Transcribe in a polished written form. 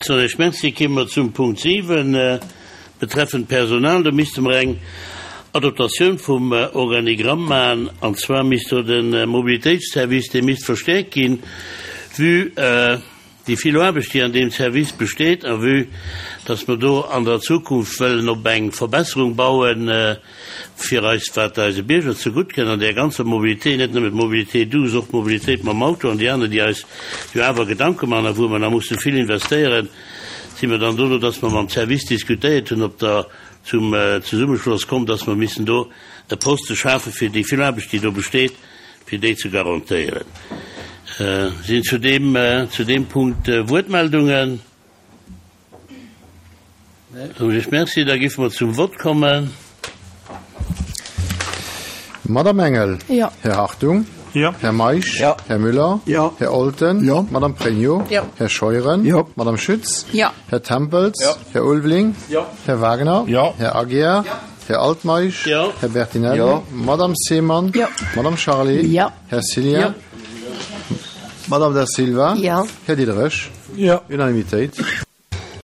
Soen ech Merci. Kéime mer zum Punkt 7, betreffend Personal. Do misste mer eng Adoptatioun vum Organigramm maachen, an zwar misst do de Mobilitéitsservice, dee misst verstäerkt ginn, vue déi vill Aarbecht, déi an deem Service besteet, a vue dass mer do an der Zukunft wëllen op eng Verbesserung bauen, fir eis, wat eise Bierger zegutt kënn an där ganzer Mobilité, net nëmmen d'Mobilité douce, och d'Mobilitéit mam Auto an déi aner, déi eis jo awer Gedanke man a wou mer nach musse vill investéieren, si mer dann dono, dass mer mam Service diskutéiert hunn, op der zum Zesummeschloss komm, dass mer missen do e Poste schafe fir déi vill Aarbecht, déi do besteet, fir déi ze garantéieren. Sinn zu deem, zu deem Punkt Wuertmeldungen? Soen ech Merci. Da géife mer zum Vott kommen. Madame Engel. Jo. Här Hartung. Jo. Här Meisch. Jo. Här Müller. Jo. Här Olten. Jo. Madame Pregno. Jo. Här Scheuren. Jo. Madame Schütz. Jo. Här Tempels. Jo. Här Ulveling. Jo. Här Wagner. Jo. Här Aguiar. Jo. Här Altmeisch. Jo. Här Bertinelli. Jo. Madame Seemann. Jo. Madame Charlé. Jo. Här Cillien. Jo. Madame Da Silva. Jo. Här Diderich. Jo. Unanimitéit.